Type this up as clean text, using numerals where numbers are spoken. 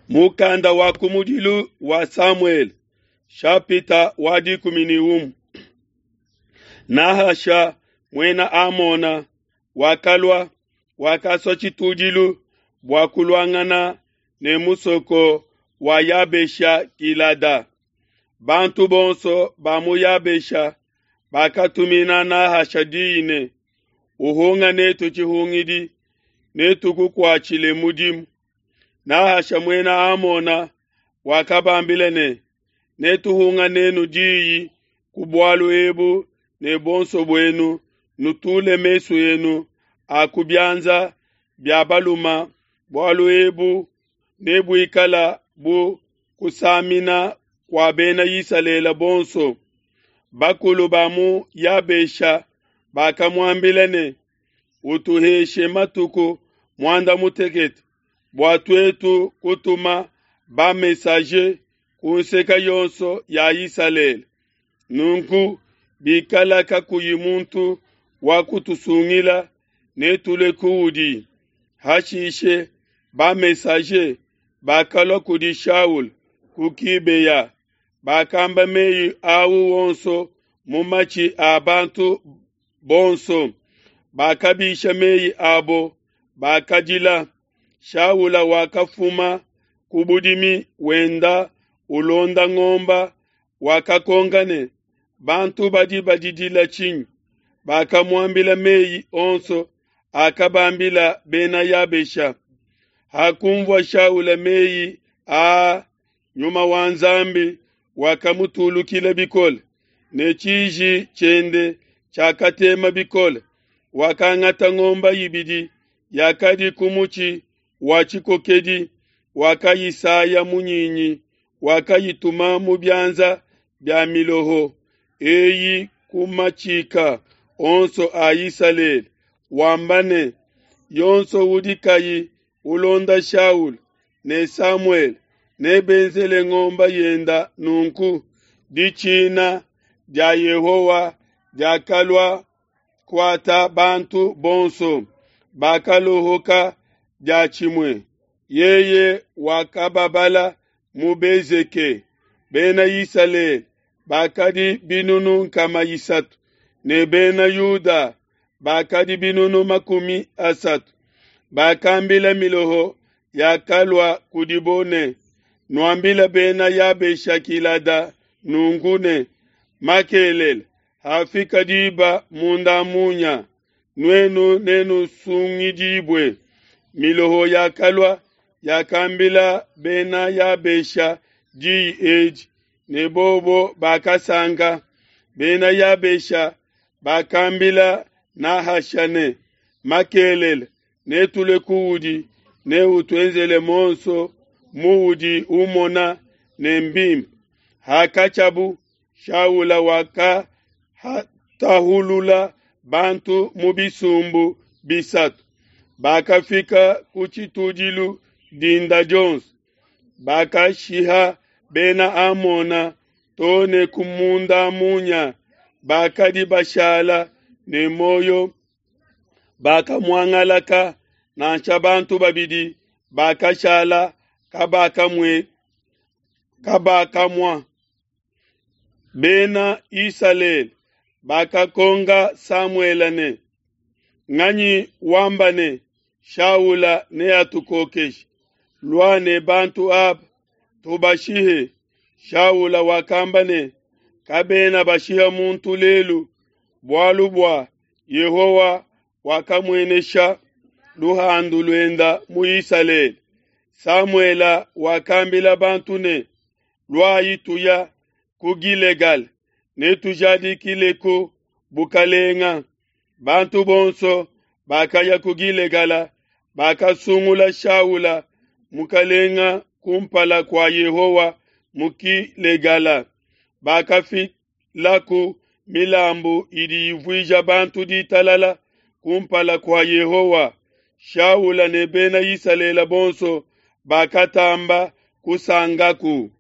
Mukanda wa kumudilu wa Samuele, shapita wa 11. Nahasha muena Amona wakalua, wakasua tshitudilu bua kuluangana ne musoko wa Yabesha Gilada. Bantu bonso ba mu Yabesha bakatumina Nahasha diyi ne, Uhunga netu tshihungidi, netukukuatshile mudimu. Nahasha muena Amona wakabambila ne, Netuhunga nenu diyi ku bualu ebu ne buonso buenu nutule mesu enu a ku bianza bia baluma, bualu ebu nebuikala bu kusamina kua bena Isalele bonso. Bakulu ba mu Yabesha bakamuambila ne, Utuheshe matuku muanda mutekete bua tuetu kutuma ba-messager ku nseke yonso ya Isalele. Nunku bikala kakuyi muntu wa kutusungila, netulue kuudi. Hashishe ba-messager bakalua kudi Shaula ku Gibea, bakamba mei au onso mu matshi a bantu bonso. Bakabisha mei abo, bakadila. Shaula wakafuma ku budimi wenda ulonda ngomba, wakakonka ne, Bantu badi badidila tshinyi? Bakamuambila mei onso akabambila Bena Yabesha. Hakunvua Shaula mei aa, Nyuma wa Nzambi wakamutulukila bikole, ne tshiji tshiende tshiakatema bikole. Wakangata ngomba ibidi yakadi ku mutshi wa tshikokedi, wakayisaya munyinyi, wakayituma mu bianza bia miloho eyi ku matshika onso a Isalele, wamba ne, Yonso udi kayi ulonda Shaula ne Samuele nebenzele ngomba yenda nunku. Ditshina dia Yehowa diakalua kuata bantu bonso, bakalohoka diatshimue. Yeye wakababala mu Bezeke. Bena Isalele bakadi binunu 300, ne Bena Yuda bakadi binunu 30. Bakambila miloho yakalua kudibo ne, Nuambile Bena Yabesha Gilada nunku ne, Makelela, hafika diba munda munya, nuenu nenusungidibue. Miloho yakalua, yakambila Bena Yabesha diyi edi, ne bobo bakasanka. Bena Yabesha bakambila Nahasha ne, Makelela netulue kuudi, neutuenzele monso muudi umona ne mbimpe. Hakatshiabu, Shaula wakatahulula bantu mu bisumbu bisatu, bakafika ku tshitudilu dinda dionso. Bakashiha Bena Amona to ne ku munda munya, bakadi bashala ne muoyo bakamuangalaka, nansha bantu babidi bakashala kabakamua. Bena Isalele bakakonka Samuele ne, Nganyi wamba ne, Shaula neatukokeshe? Lua ne bantu aba, tubashihe. Shaula wakamba ne, Kabena bashiha muntu lelu, bualu bua Yehowa wakamuenesha luhandu luenda mu Isalele. Samuele wakambila bantu ne, Luayi tuya ku Gilegala, netujadikileku bukalenga. Bantu bonso bakaya ku Gilegala, bakasungula Shaula mukalenga kumpala kua Yehowa mu Gilegala. Bakafilaku milambu idi ivuija bantu ditalala kumpala kua Yehowa. Shaula ne bena Isalele bonso bakatamba kusankaku.